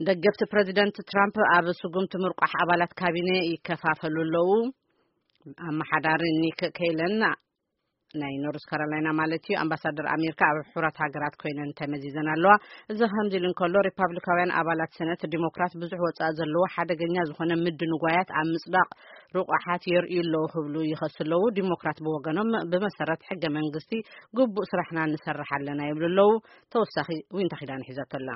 ደገፍቲ ፕረዚደንት ትራምፕ ኣብ ስጉምቲ ምርቋሕ ኣባላት ካቢነ ይከፋፈሉ ኣለዉ። ኣመሓዳሪ ኒክ ኬለን፣ ናይ ኖርዝ ካሮላይና ማለት እዩ፣ ኣምባሳደር ኣሜሪካ ኣብ ሕቡራት ሃገራት ኮይነን ተመዚዘን ኣለዋ። እዚ ከምዚ ኢሉ እንከሎ፣ ሪፓብሊካውያን ኣባላት ሰነት ዲሞክራት ብዙሕ ወጻኢ ዘለዎ ሓደገኛ ዝኾነ ምድንጓያት ኣብ ምጽዳቕ ርቑሓት የርእዩ ኣለዉ ክብሉ ይኸሱ ኣለዉ። ዲሞክራት ብወገኖም፣ ብመሰረት ሕገ መንግስቲ ግቡእ ስራሕና ንሰርሕ ኣለና ይብሉ ኣለዉ። ተወሳኺ ዊንታ ኪዳን ሒዛቶ ኣላ።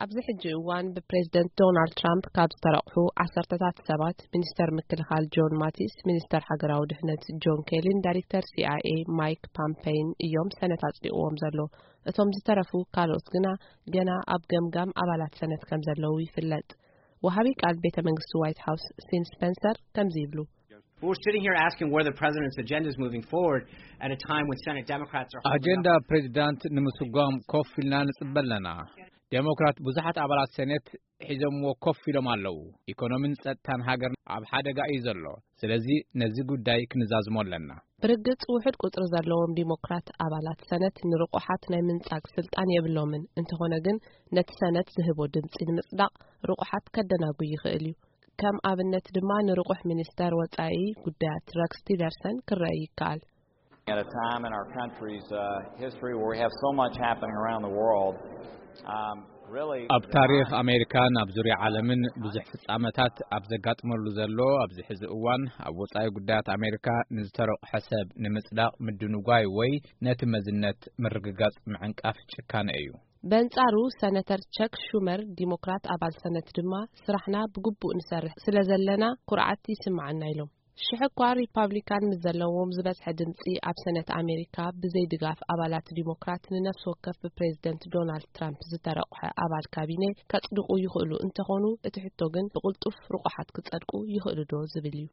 ኣብዚ ሕጂ እዋን ብፕሬዝደንት ዶናልድ ትራምፕ ካብ ዝተረቑሑ ዓሰርተታት ሰባት፣ ሚኒስተር ምክልኻል ጆን ማቲስ፣ ሚኒስተር ሃገራዊ ድሕነት ጆን ኬሊን ዳይሬክተር ሲ ኣይ ኤ ማይክ ፓምፔይን እዮም ሰነት ኣጽዲቕዎም ዘሎ። እቶም ዝተረፉ ካልኦት ግና ገና ኣብ ገምጋም ኣባላት ሰነት ከም ዘለዉ ይፍለጥ። ወሃቢ ቃል ቤተ መንግስቲ ዋይት ሃውስ ሲን ስፐንሰር ከምዚ ይብሉ። We're sitting here asking where the president's agenda is moving forward at a time when Senate Democrats are holding ኣጀንዳ up ፕሬዚዳንት ንምስጓም ኮፍ ኢልና ንጽበ ኣለና። ዴሞክራት ብዙሓት ኣባላት ሴኔት ሒዞምዎ ኮፍ ኢሎም ኣለዉ። ኢኮኖሚን ጸጥታን ሃገር ኣብ ሓደጋ እዩ ዘሎ። ስለዚ ነዚ ጉዳይ ክንዛዝሞ ኣለና። ብርግጽ ውሑድ ቁጽሪ ዘለዎም ዲሞክራት ኣባላት ሰነት ንርቑሓት ናይ ምንጻግ ስልጣን የብሎምን። እንተኾነ ግን ነቲ ሰነት ዝህቦ ድምጺ ንምጽዳቕ ርቑሓት ከደናጉ ይኽእል እዩ። ከም ኣብነት ድማ ንርቑሕ ሚኒስተር ወጻኢ ጉዳያት ረክስ ቲለርሰን ክረአ ይከኣል። At a time in our country's uh, history where we have so much happening around the world, um, really ኣብ the ታሪኽ time ኣሜሪካን ኣብ ዙርያ ዓለምን ብዙሕ ፍጻመታት ኣብ ዘጋጥመሉ ዘሎ ኣብዚ ሕዚ እዋን፣ ኣብ ወጻኢ ጉዳያት ኣሜሪካ ንዝተረቑሐ ሰብ ንምጽዳቕ ምድንጓይ ወይ ነቲ መዝነት ምርግጋጽ ምዕንቃፍ ጭካነ እዩ። በንጻሩ፣ ሰነተር ቸክ ሹመር፣ ዲሞክራት ኣባል ሰነት ድማ፣ ስራሕና ብግቡእ ንሰርሕ ስለ ዘለና ኩርዓት ይስምዓና ኢሎም። ሽሕ እኳ ሪፓብሊካን ምስ ዘለዎም ዝበዝሐ ድምጺ ኣብ ሰነት ኣሜሪካ ብዘይ ድጋፍ ኣባላት ዲሞክራት ንነፍሲ ወከፍ ብፕሬዝደንት ዶናልድ ትራምፕ ዝተረቑሐ ኣባል ካቢኔ ከጽድቑ ይኽእሉ እንተኾኑ፣ እቲ ሕቶ ግን ብቕልጡፍ ርቑሓት ክጸድቁ ይኽእሉ ዶ ዝብል እዩ።